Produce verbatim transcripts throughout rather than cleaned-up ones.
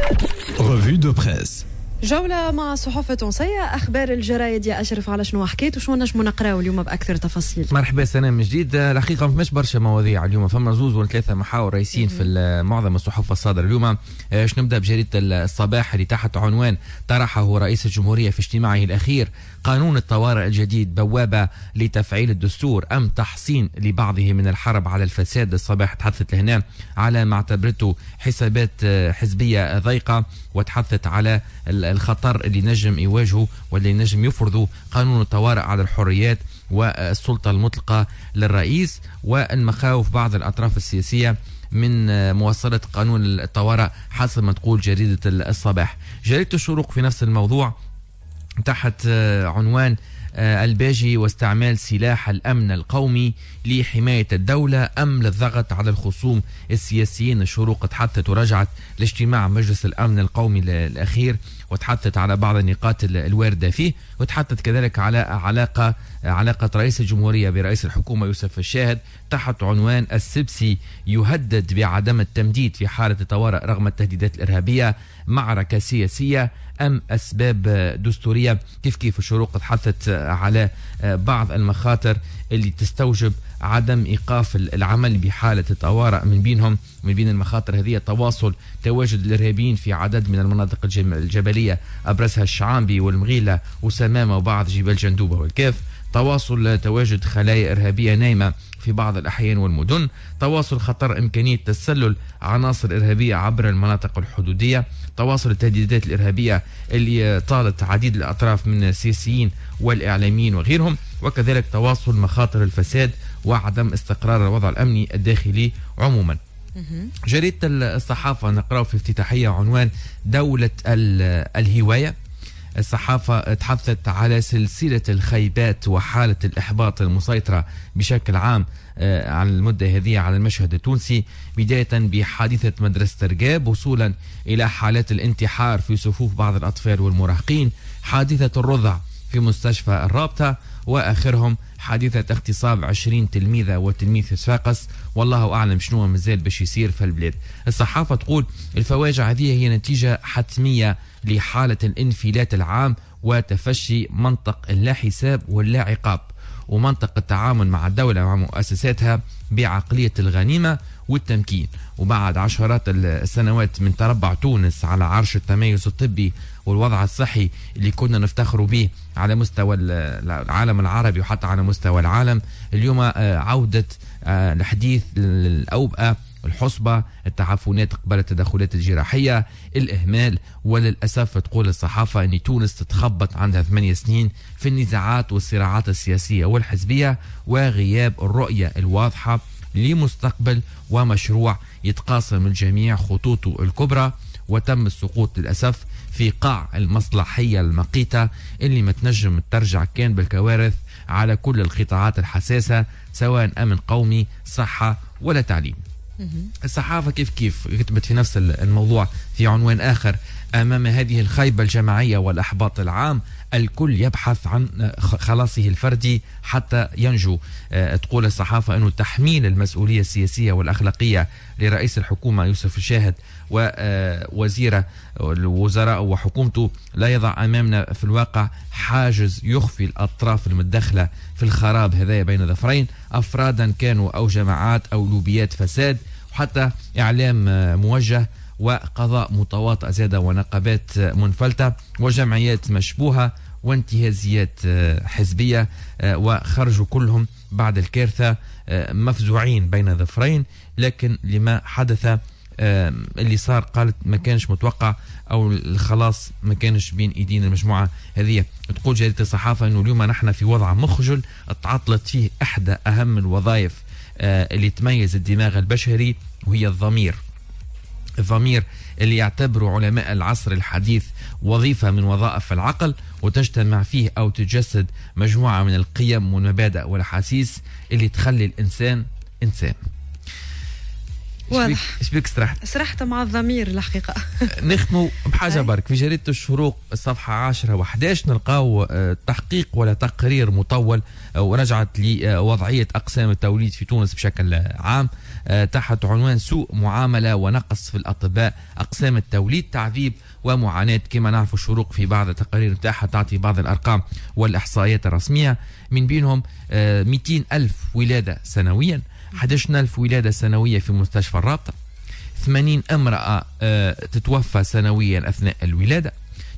Revue de presse. جولة مع الصحف التونسية، أخبار الجرايد يا أشرف، على شنو حكيت وشنو نجمو نقراو اليوم بأكثر تفاصيل؟ مرحبا سنة من جديد. الحقيقة ما فماش برشا مواضيع اليوم، فما زوز ولا ثلاثة محاور رئيسيين في معظم الصحف الصادرة اليوم. باش نبدا بجريدة الصباح اللي تحت عنوان طرحه رئيس الجمهورية في اجتماعه الأخير: قانون الطوارئ الجديد بوابة لتفعيل الدستور أم تحصين لبعضه من الحرب على الفساد. الصباح تحدثت لهنا على ما اعتبرته حسابات حزبية ضيقة، وتحدثت على الخطر اللي نجم يواجهه واللي نجم يفرضه قانون الطوارئ على الحريات والسلطة المطلقة للرئيس، والمخاوف بعض الأطراف السياسية من مواصلة قانون الطوارئ حسب ما تقول جريدة الصباح. جريدة الشروق في نفس الموضوع تحت عنوان الباجي واستعمال سلاح الأمن القومي لحماية الدولة أم للضغط على الخصوم السياسيين. الشروق تحدثت ورجعت لاجتماع مجلس الأمن القومي الأخير وتحدثت على بعض النقاط الواردة فيه، وتحدثت كذلك على علاقة علاقة رئيس الجمهورية برئيس الحكومة يوسف الشاهد تحت عنوان السبسي يهدد بعدم التمديد في حالة الطوارئ رغم التهديدات الإرهابية، معركة سياسية أم أسباب دستورية. كيف كيف الشروق تحدثت على بعض المخاطر اللي تستوجب عدم إيقاف العمل بحالة الطوارئ، من بينهم من بين المخاطر هذه تواصل تواجد الإرهابيين في عدد من المناطق الجبلية أبرزها الشعامبي والمغيلة وسمامة وبعض جبال جندوبة والكاف، تواصل تواجد خلايا إرهابية نايمة في بعض الأحيان والمدن، تواصل خطر إمكانية تسلل عناصر إرهابية عبر المناطق الحدودية، تواصل التهديدات الإرهابية اللي طالت عديد الأطراف من السياسيين والإعلاميين وغيرهم، وكذلك تواصل مخاطر الفساد وعدم استقرار الوضع الأمني الداخلي عموما. جريدة الصحافة نقرأ في افتتاحية عنوان دولة الهواية. الصحافة تحدثت على سلسلة الخيبات وحالة الإحباط المسيطرة بشكل عام على المدة هذه على المشهد التونسي، بداية بحادثة مدرسة رقاب وصولا إلى حالات الانتحار في صفوف بعض الأطفال والمراهقين، حادثة الرضع في مستشفى الرابطة، وآخرهم حادثة اغتصاب عشرين تلميذة وتلميذ في صفاقس، والله أعلم شنو مازال باش يصير في البلاد. الصحافة تقول الفواجع هذه هي نتيجة حتمية لحالة الانفلات العام وتفشي منطق اللا حساب واللا عقاب، ومنطق التعامل مع الدولة ومع مؤسساتها بعقلية الغنيمة والتمكين. وبعد عشرات السنوات من تربع تونس على عرش التميز الطبي والوضع الصحي اللي كنا نفتخر به على مستوى العالم العربي وحتى على مستوى العالم، اليوم عودة الحديث للأوبئة، الحصبة، التعفنات قبل التدخلات الجراحية، الإهمال. وللأسف تقول الصحافة أن تونس تتخبط عندها ثمانية سنين في النزاعات والصراعات السياسية والحزبية وغياب الرؤية الواضحة لمستقبل ومشروع يتقاسم الجميع خطوطه الكبرى، وتم السقوط للأسف في قاع المصلحية المقيتة اللي ما تنجم ترجع كان بالكوارث على كل القطاعات الحساسة سواء أمن قومي، صحة ولا تعليم. الصحافة كيف كيف كتبت في نفس الموضوع في عنوان آخر: أمام هذه الخيبة الجماعية والأحباط العام الكل يبحث عن خلاصه الفردي حتى ينجو. تقول الصحافة أنه تحميل المسؤولية السياسية والأخلاقية لرئيس الحكومة يوسف الشاهد ووزير الوزراء وحكومته لا يضع أمامنا في الواقع حاجز يخفي الأطراف المتدخلة في الخراب هذا بين ظفرين، أفرادا كانوا أو جماعات أو لوبيات فساد، وحتى إعلام موجه وقضاء متواطئ زادة ونقابات منفلتة وجمعيات مشبوهة وانتهازيات حزبية، وخرجوا كلهم بعد الكارثة مفزوعين بين ظفرين. لكن لما حدث اللي صار قالت ما كانش متوقع أو الخلاص ما كانش بين إيدين المجموعة هذه. تقول جريدة الصحافة أنه اليوم نحن في وضع مخجل تعطلت فيه إحدى أهم الوظائف اللي تميز الدماغ البشري وهي الضمير. الضمير اللي يعتبره علماء العصر الحديث وظيفة من وظائف العقل، وتجتمع فيه أو تجسد مجموعة من القيم والمبادئ والأحاسيس اللي تخلي الإنسان إنسان. واضح. ايش بيك سرحت؟ سرحت مع الضمير الحقيقة. نختموا بحاجة برك في جريدة الشروق الصفحة عشرة وحداش نلقاو تحقيق ولا تقرير مطول ورجعت لوضعية أقسام التوليد في تونس بشكل عام. تحت عنوان سوء معاملة ونقص في الأطباء، أقسام التوليد، تعذيب ومعاناة. كما نعرف الشروق في بعض التقارير نتاعها تعطي بعض الأرقام والإحصائيات الرسمية، من بينهم مئتين ألف ولادة سنويا، أحد عشر ألف ولادة سنوية في مستشفى الرابطة، ثمانين امرأة تتوفى سنويا أثناء الولادة،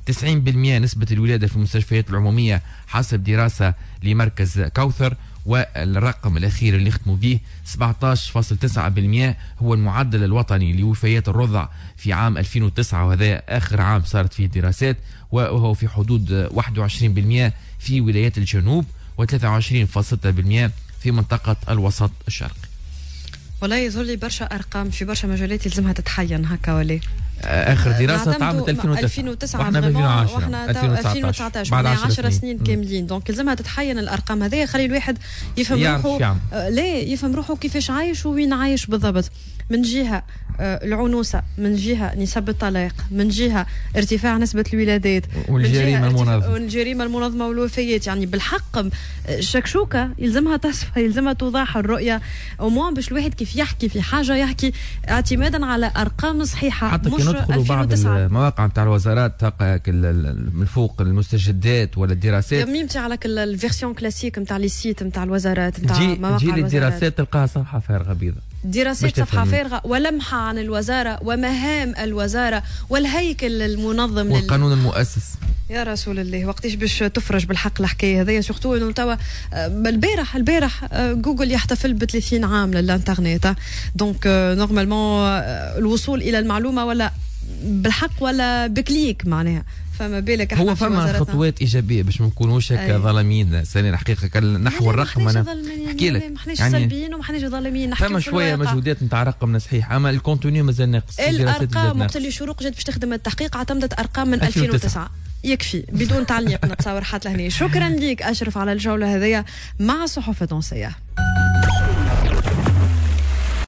تسعين بالمئة نسبة الولادة في المستشفيات العمومية حسب دراسة لمركز كوثر، والرقم الأخير اللي ختموا به سبعة عشر فاصل تسعة بالمئة هو المعدل الوطني لوفيات الرضع في عام ألفين وتسعة، وهذا آخر عام صارت فيه دراسات، وهو في حدود واحد وعشرين بالمئة في ولايات الجنوب وثلاثة وعشرين فاصل ستة بالمئة في منطقة الوسط الشرقي. والله يظهر لي برشا أرقام في برشا مجالات يلزمها تتحين هكا ولا اخر دراسة عام ألفين وتسعة واحنا واحنا ألفين وتسعطاش بعد عشر سنين كاملين، donc لازمها تتحين الارقام هذه، خلي الواحد يفهم روحه، لا يفهم روحه كيفاش عايش وين عايش بالضبط. من جهة العنوسه، من جهة نسب الطلاق، من جهة ارتفاع نسبه الولادات، والجريمه المنظمة والجريمه المنظمة والوفيات. يعني بالحق الشكشوكه يلزمها تصفى، يلزمها توضح الرؤية au moins باش الواحد كيف يحكي في حاجة يحكي اعتمادا على ارقام صحيحه. حتى كي ندخلوا بعض المواقع نتاع الوزارات تلقى من فوق المستجدات ولا الدراسات، يمشي على ال version classique نتاع les sites نتاع الوزارات نتاع مواقع الوزارات، تجي للدراسات تلقاها صفحة فارغة بيضاء، دراسات صفحة فارغة ولمحة عن الوزارة ومهام الوزارة والهيكل المنظم والقانون المؤسس. يا رسول الله وقتاش باش تفرج بالحق الحكاية هذيا، surtout انه توا البارح البارح جوجل يحتفل ب ثلاثين عام للانترنت، donc normalement الوصول الى المعلومة ولا بالحق ولا ب clic معناها، فما بالك هو فما خطوات ايجابية باش ما نكونوش هكا ظالمين سنة الحقيقة نحو الرقم. انا نحكي لك ما احناش يعني سلبيين وما احناش ظالمين، نحكي فما شوية مجهودات نتاع رقمنا صحيح، اما ال contenu مازال ناقص. الارقام وقت اللي شروق جات باش تخدم التحقيق اعتمدت ارقام من ألفين وتسعة، يكفي بدون تعليق نتصور حتى لهنا. شكرا لك اشرف على الجولة هذيا مع الصحف التونسية.